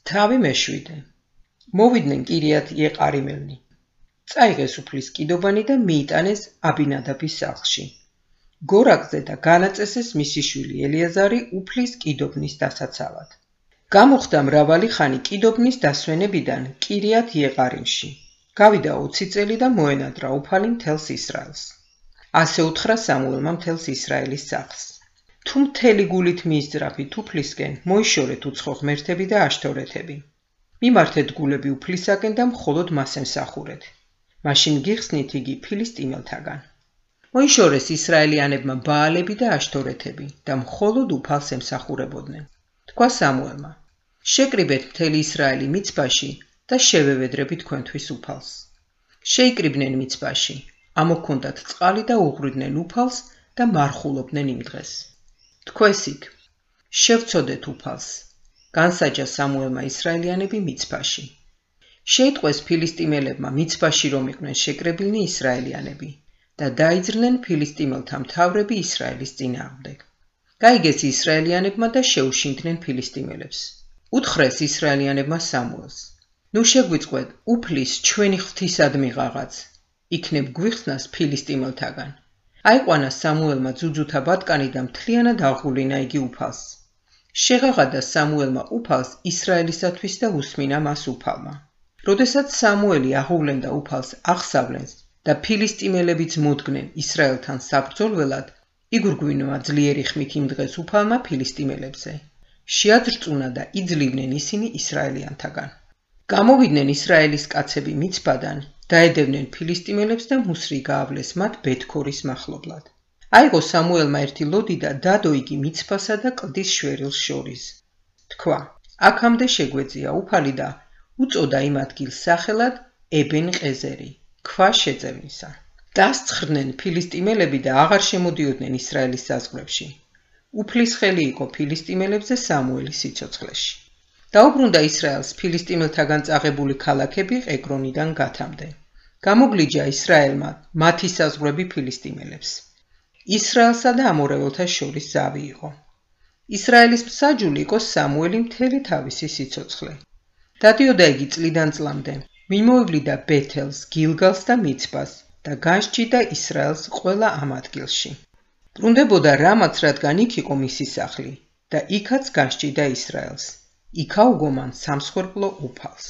თავი მეშვიდე. მოვიდნენ კირიათ იეყარიმელნი. წაიღეს უფლის კიდობანი და მიიტანეს აბინადაბის სახლში. გორაკზე და განაწესეს მისი შვილი ელიაზარი უფლის კიდობნის დასაცავად. გამოხდა მრავალი ხანი კიდობნის დასვენებიდან კირიათ იეყარიმში. გავიდა 20 წელი და მოენადრა უფალი მთელს ისრაელს. ასე უთხრა სამუელმა მთელს ისრაელის სახლს. თუ მთელი გულით მიისძრაფით უფლისკენ, მოიშორეთ უცხო ღმერთები და აშთორეთები. მიმართეთ გულები უფლისაკენ და მხოლოდ მას ემსახურეთ. მაშინ გიხსნით იგი ფილისტიმელთაგან. მოიშორეს ისრაელიანებმა ბაალები და აშთორეთები და მხოლოდ უფალს ემსახურებოდნენ. თქვა სამუელმა: შეკრიბეთ მთელი ისრაელი მიცბაში და შევევედრებით თქვენთვის უფალს. შეიკრიბნენ მიცბაში, ამოქონდათ წყალი და უღვრიდნენ უფალს და მარხულობდნენ იმ დღეს. თქვეს იქ, შევწოდეთ უფალს. განსაჯა სამუელმა ისრაელიანები მიცბაში. შეიტყვეს ფილისტიმელებმა მიცბაში რომ იყვნენ შეკრებილნი ისრაელიანები და დაიძრნენ ფილისტიმელთა მთავრები ისრაელის წინააღმდეგ. გაიგეს ისრაელიანებმა და შეუშინდნენ ფილისტიმელებს. უთხრეს ისრაელიანებმა სამუელს: ნუ შეგვიწყვეთ უფლის ჩვენი ღვთისადმი ღაღაც, იქნებ გვიხსნას ფილისტიმელთაგან. აიყვანა სამუელმა ძუძუთა ბატკანი და მთლიანად აღულინა იგი უფალს. შეღაღადა სამუელმა უფალს ისრაელისათვის და უსმინა მას უფალმა. როდესაც სამუელი აღუვლენდა უფალს აღსავლენს და ფილისტიმელებიც მოდგნენ ისრაელთან საბრძოლველად, იგურგვინვა ძლიერი ხმით იმ დღეს უფალმა ფილისტიმელებზე. შეაძრწუნა და იძლივნენ ისინი ისრაელიანთაგან. გამოვიდნენ ისრაელის კაცები მიცბადან, დაედევნენ ფილისტიმელებს და მუსრი გაავლეს მათ ბეთქორის მახლობლად. აიღო სამუელმა ერთი ლოდი და დადო იგი მიცბასა და კლდის შვერილს შორის. თქვა: აქამდე შეგვეძია უფალი და უწოდა იმ ადგილს სახელად ებენ-ყეზერი, ქვა შეძევნისა. დასცხრდნენ ფილისტიმელები და აღარ შემოდიოდნენ ისრაელის საზღვრებში. უფლის ხელი იყო ფილისტიმელებზე სამუელის სიცოცხლეში. დაუბრუნდა ისრაელს ფილისტიმელთაგან წაღებული ქალაქები ეკრონიდან გათამდე. გამოგლიჯა ისრაელმა მათი საზღვრები ფილისტიმელებს. ისრაელსა და ამორეველთა შორის ზავი იყო. ისრაელის მსაჯული იყო სამუელი მთელი თავისი სიცოცხლე. დადიოდა იგი წლიდან წლამდე, მიმოევლიდა ბეთელს, გილგალს და მიცბას და განსჯიდა ისრაელს ყველა ამ ადგილში. ბრუნდებოდა რამაც, რადგან იქ იყო მისი სახლი და იქაც განსჯიდა ისრაელს. იქაუგო მან სამსხვერპლო უფალს.